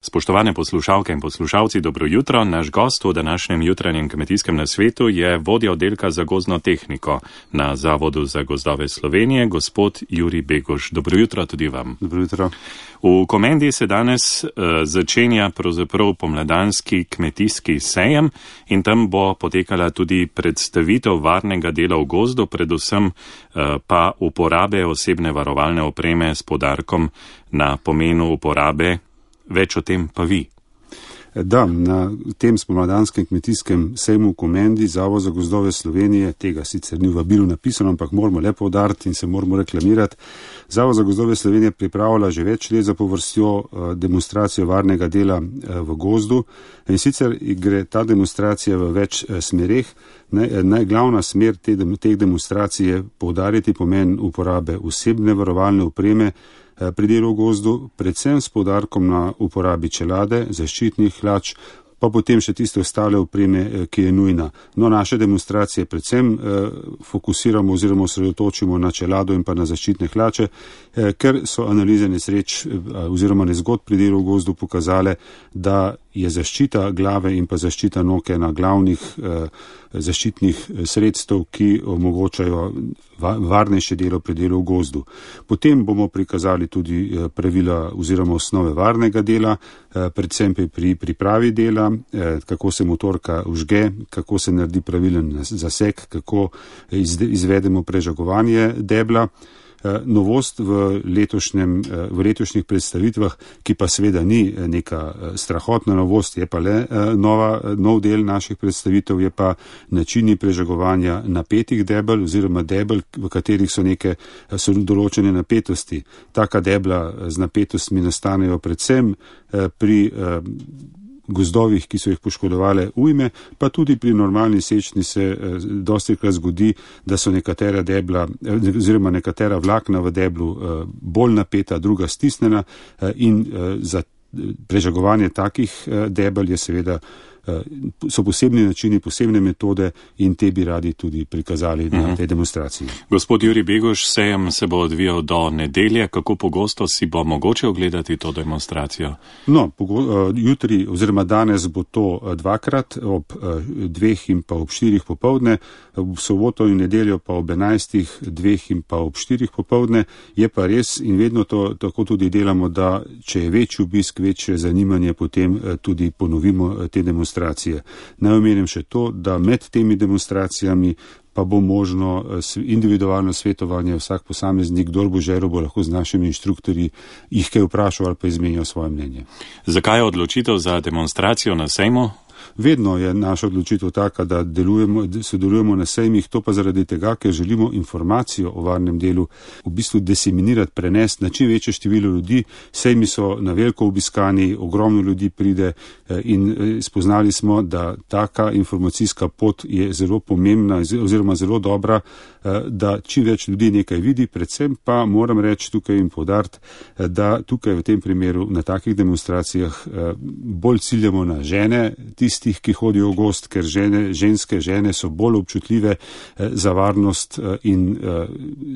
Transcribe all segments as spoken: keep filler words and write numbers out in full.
Spoštovane poslušalke in poslušalci, dobro jutro. Naš gost v današnjem jutranjem kmetijskem nasvetu je vodja oddelka za gozdno tehniko na Zavodu za gozdove Slovenije, gospod Jurij Beguš. Dobro jutro tudi vam. Dobro jutro. V Komendi se danes uh, začenja pravzaprav pomladanski kmetijski sejem in tam bo potekala tudi predstavitev varnega dela v gozdu, predvsem uh, pa uporabe osebne varovalne opreme s poudarkom na pomenu uporabe. Več o tem pa vi. Da, na tem spomladanskem kmetijskem sejmu v Komendi Zavod za gozdove Slovenije, tega sicer ni v vabilu napisano, ampak moramo le poudariti in se moramo reklamirati. Zavod za gozdove Slovenije pripravlja že več let zapovrstjo demonstracijo varnega dela v gozdu in sicer gre ta demonstracija v več smereh. Najglavna smer te, teh demonstracij je poudariti pomen uporabe osebne varovalne opreme pri delu v gozdu, predvsem s poudarkom na uporabi čelade, zaščitnih hlač, pa potem še tiste ostale opreme, ki je nujna. No, naše demonstracije predvsem eh, fokusiramo oziroma osredotočimo na čelado in pa na zaščitne hlače, eh, ker so analize nesreč eh, oziroma nezgod pri delu v gozdu pokazale, da je zaščita glave in pa zaščita nog ena glavnih eh, zaščitnih sredstev, ki omogočajo varnejše delo pri delu v gozdu. Potem bomo prikazali tudi pravila oziroma osnove varnega dela, predvsem pri pripravi dela, kako se motorka vžge, kako se naredi pravilen zaseg, kako izvedemo prežagovanje debla. Novost v, letošnjem, v letošnjih predstavitvah, ki pa seveda ni neka strahotna novost, je pa le nova, nov del naših predstavitev, je pa načini prežagovanja napetih debel oziroma debel, v katerih so neke so določene napetosti. Taka debla z napetostmi nastanejo predvsem pri gozdovih, ki so jih poškodovale ujme, pa tudi pri normalni sečni se eh, dostikrat zgodi, da so nekatera debla oziroma nekatera vlakna v deblu eh, bolj napeta, druga stisnjena eh, in eh, za prežagovanje takih eh, debel je seveda so posebni načini, posebne metode in te bi radi tudi prikazali na uh-huh. tej demonstraciji. Gospod Jurij Beguš, sejem se bo odvijal do nedelje. Kako pogosto si bo mogoče ogledati to demonstracijo? No, pogo- jutri oziroma danes bo to dvakrat, ob dveh in pa ob štirih popovdne, v soboto in nedeljo pa ob enajstih, dveh in pa ob štirih popovdne. Je pa res in vedno to tako tudi delamo, da če je večji obisk, večje zanimanje, potem tudi ponovimo te demonstracije. Naj omenim še to, da med temi demonstracijami pa bo možno individualno svetovanje, vsak posameznik, kdor bo želel, bo lahko z našimi inštruktorji jih kaj vprašal ali pa izmenjal svoje mnenje. Zakaj je odločitev za demonstracijo na sejmu? Vedno je naša odločitev taka, da delujemo, sodelujemo na sejmih, to pa zaradi tega, ker želimo informacijo o varnem delu v bistvu diseminirati, prenesti na čim večje število ljudi. Sejmi so na veliko obiskani, ogromno ljudi pride in spoznali smo, da taka informacijska pot je zelo pomembna oziroma zelo dobra, da čim več ljudi nekaj vidi, predvsem pa moram reči tukaj in poudariti, da tukaj v tem primeru na takih demonstracijah bolj ciljamo na žene, tistih, ki hodijo v gozd, ker žene, ženske žene so bolj občutljive eh, za varnost eh, in eh,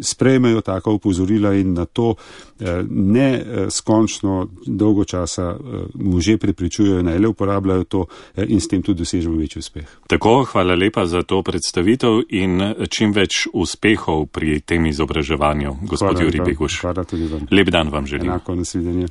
sprejmejo taka upozorila in na to eh, ne eh, skončno dolgo časa eh, može prepričujejo, naj le uporabljajo to eh, in s tem tudi dosežemo večji uspeh. Tako, hvala lepa za to predstavitev in čim več uspehov pri tem izobraževanju, gospod Jurij Beguš. Hvala tudi vam. Lep dan vam želim. Enako, nasvidenje.